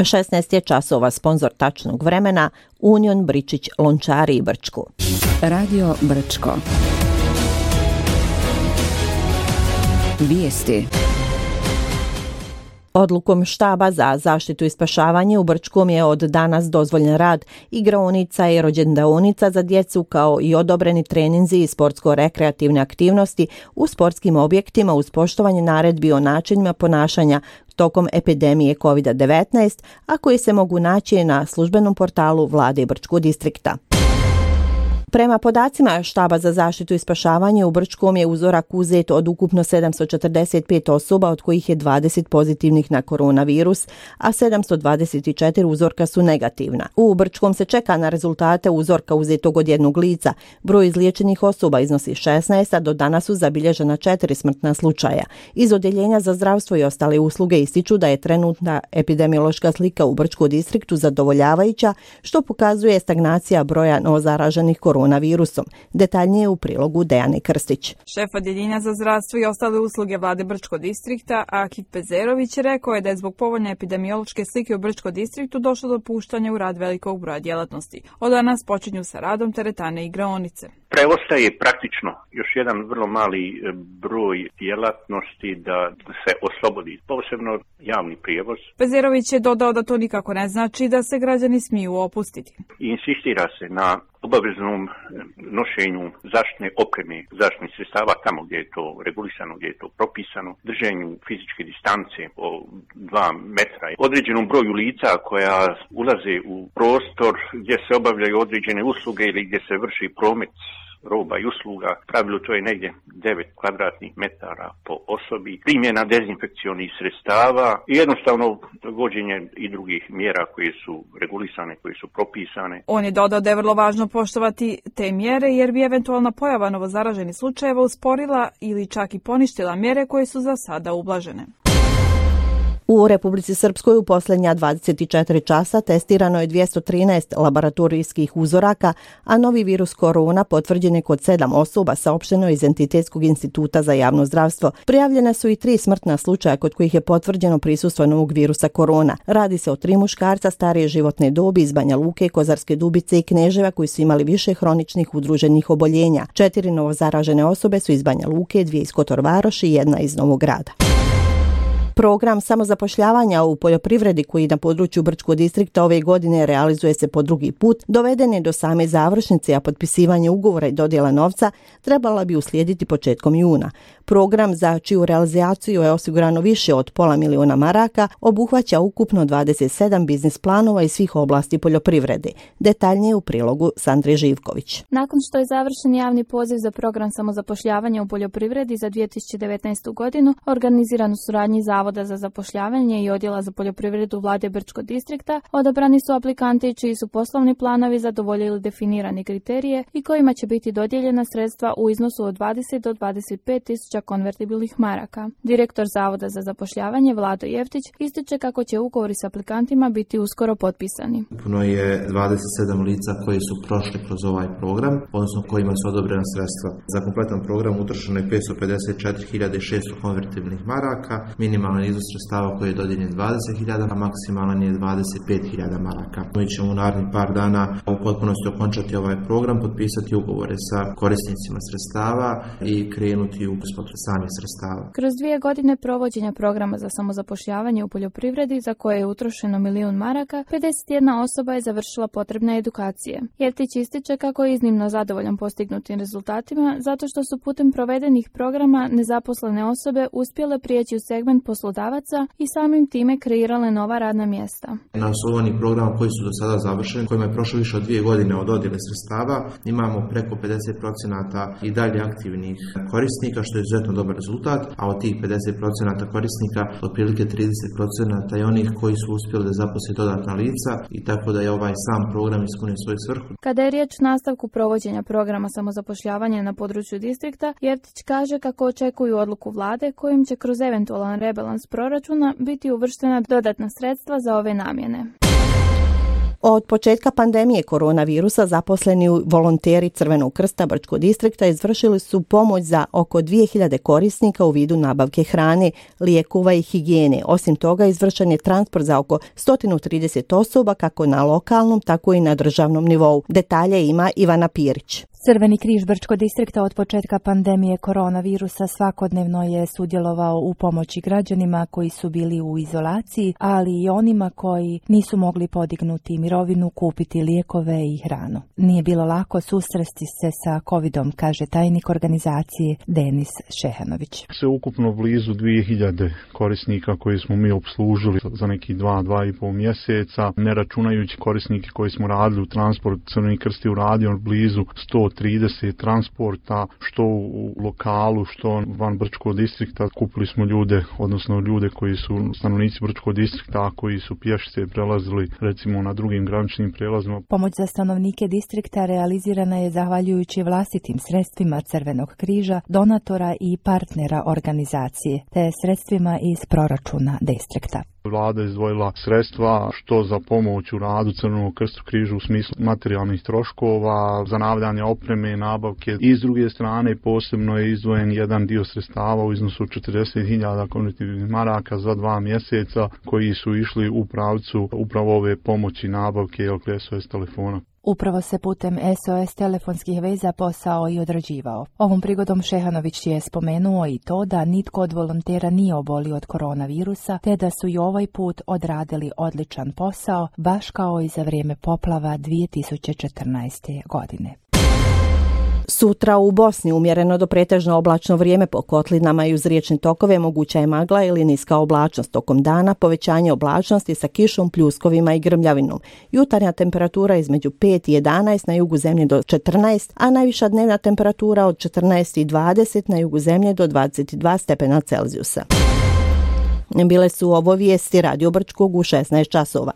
16 je časova, sponzor tačnog vremena Union Bričić Lončari i Brčko. Radio Brčko. Vijesti. Odlukom štaba za zaštitu i spašavanje u Brčkom je od danas dozvoljen rad igraonica i rođendaonica za djecu kao i odobreni treninzi i sportsko-rekreativne aktivnosti u sportskim objektima uz poštovanje naredbi o načinima ponašanja tokom epidemije COVID-19, a koji se mogu naći na službenom portalu Vlade Brčkog distrikta. Prema podacima štaba za zaštitu i spašavanje u Brčkom je uzorak uzet od ukupno 745 osoba, od kojih je 20 pozitivnih na koronavirus, a 724 uzorka su negativna. U Brčkom se čeka na rezultate uzorka uzetog od jednog lica. Broj izliječenih osoba iznosi 16, a do danas su zabilježena 4 smrtna slučaja. Iz Odjeljenja za zdravstvo i ostale usluge ističu da je trenutna epidemiološka slika u Brčkom distriktu zadovoljavajuća, što pokazuje stagnacija broja novozaraženih koronavirusom. Detaljnije u prilogu Dejane Krstić. Šef Odjeljenja za zdravstvo i ostale usluge Vlade Brčkog distrikta, Akif Pezerović, rekao je da je zbog povoljne epidemiološke slike u Brčkom distriktu došlo do puštanja u rad velikog broja djelatnosti. Od danas počinju sa radom teretane i igraonice. Preostaje praktično još jedan vrlo mali broj djelatnosti da se oslobodi, posebno javni prijevoz. Pezerović je dodao da to nikako ne znači da se građani smiju opustiti. Insistira se na obaveznom nošenju zaštitne opreme, zaštitnih sredstava tamo gdje je to regulisano, gdje je to propisano, držanju fizičke distance o 2 metra, određenom broju lica koja ulaze u prostor gdje se obavljaju određene usluge ili gdje se vrši promet roba i usluga. Pravilu to je negdje 9 kvadratnih metara po osobi, primjena dezinfekcionih sredstava i jednostavno vođenje i drugih mjera koje su regulisane, koje su propisane. On je dodao da je vrlo važno poštovati te mjere jer bi eventualna pojava novozaraženih slučajeva usporila ili čak i poništila mjere koje su za sada ublažene. U Republici Srpskoj u posljednja 24 časa testirano je 213 laboratorijskih uzoraka, a novi virus korona potvrđen je kod 7 osoba, saopšteno iz Entitetskog instituta za javno zdravstvo. Prijavljena su i 3 smrtna slučaja kod kojih je potvrđeno prisustvo novog virusa korona. Radi se o 3 muškarca starije životne dobi iz Banja Luke, Kozarske Dubice i Kneževa koji su imali više hroničnih udruženih oboljenja. 4 novozaražene osobe su iz Banja Luke, 2 iz Kotor Varoši i 1 iz Novog Grada. Program samozapošljavanja u poljoprivredi koji na području Brčkog distrikta ove godine realizuje se po drugi put, doveden je do same završnice, a potpisivanje ugovora i dodjela novca trebala bi uslijediti početkom juna. Program, za čiju realizaciju je osigurano više od $500.000 maraka, obuhvaća ukupno 27 biznis planova iz svih oblasti poljoprivrede. Detaljnije u prilogu Sandre Živković. Nakon što je završen javni poziv za program samozapošljavanja u poljoprivredi za 2019. godinu, organiziran u suradnji Zavoda za zapošljavanje i Odjela za poljoprivredu Vlade Brčkog distrikta, odabrani su aplikanti čiji su poslovni planovi zadovoljili definirane kriterije i kojima će biti dodijeljena sredstva u iznosu od 20 do 25 tisuća konvertibilnih maraka. Direktor Zavoda za zapošljavanje Vlado Jeftić ističe kako će ugovori s aplikantima biti uskoro potpisani. Ukupno je 27 lica koji su prošli kroz ovaj program, odnosno kojima su odobrena sredstva. Za kompletan program utrošeno je 554.600 konvertibilnih maraka, minimalan iznos sredstava koji je dodijeljen 20.000, a maksimalan je 25.000 maraka. Mi ćemo u narednih par dana u potpunosti okončati ovaj program, potpisati ugovore sa korisnicima sredstava i krenuti u isplatu samih sredstava. Kroz 2 godine provođenja programa za samozapošljavanje u poljoprivredi, za koje je utrošeno 1.000.000 maraka, 51 osoba je završila potrebne edukacije. Jeftić ističe kako je iznimno zadovoljan postignutim rezultatima, zato što su putem provedenih programa nezaposlene osobe uspjele prijeći u segment poslodavaca i samim time kreirale nova radna mjesta. Na osnovu onih programa koji su do sada završeni, kojima je prošlo više od 2 godine od dodjele sredstava, imamo preko 50% i dalje aktivnih korisnika, što je izuzetno dobar rezultat, a od tih 50% korisnika otprilike 30% je onih koji su uspjeli da zaposle dodatna lica i tako da je ovaj sam program ispunio svoju svrhu. Kada je riječ o nastavku provođenja programa samozapošljavanja na području distrikta, Jeftić kaže kako očekuju odluku vlade kojim će kroz eventualan rebalans proračuna biti uvrštena dodatna sredstva za ove namjene. Od početka pandemije koronavirusa zaposleni volonteri Crvenog krsta Brčkog distrikta izvršili su pomoć za oko 2000 korisnika u vidu nabavke hrane, lijekova i higijene. Osim toga, izvršen je transport za oko 130 osoba kako na lokalnom, tako i na državnom nivou. Detalje ima Ivana Pirić. Crveni križ Brčkog distrikta od početka pandemije koronavirusa svakodnevno je sudjelovao u pomoći građanima koji su bili u izolaciji, ali i onima koji nisu mogli podignuti mirovinu, kupiti lijekove i hranu. Nije bilo lako susresti se sa covidom, kaže tajnik organizacije Denis Šehanović. Sve ukupno blizu 2000 korisnika koji smo mi obslužili za neki 2,5 mjeseca, ne računajući korisnike koji smo radili u transport. Crveni krst je uradio blizu 130 transporta, što u lokalu, što van Brčkog distrikta. Kupili smo ljude, odnosno ljude koji su stanovnici Brčkog distrikta, koji su pješice prelazili recimo na drugim graničnim prijelazima. Pomoć za stanovnike distrikta realizirana je zahvaljujući vlastitim sredstvima Crvenog križa, donatora i partnera organizacije, te sredstvima iz proračuna distrikta. Vlada je izdvojila sredstva što za pomoć u radu Crvenog krsta križa u smislu materijalnih troškova, za nabavljanje opreme, nabavke. I s druge strane posebno je izdvojen jedan dio sredstava u iznosu 40.000 konvertibilnih maraka za 2 mjeseca koji su išli u pravcu upravo ove pomoći nabavke SOS telefona. Upravo se putem SOS telefonskih veza posao i odrađivao. Ovom prigodom Šehanović je spomenuo i to da nitko od volontera nije obolio od koronavirusa, te da su i ovaj put odradili odličan posao, baš kao i za vrijeme poplava 2014. godine. Sutra u Bosni umjereno do pretežno oblačno vrijeme, po kotlinama i uz riječne tokove moguća je magla ili niska oblačnost. Tokom dana povećanje oblačnosti sa kišom, pljuskovima i grmljavinom. Jutarnja temperatura između 5 i 11, na jugu zemlje do 14, a najviša dnevna temperatura od 14 i 20, na jugu zemlje do 22 stepena Celzijusa. Bile su ovo vijesti Radio Brčkog u 16 časova.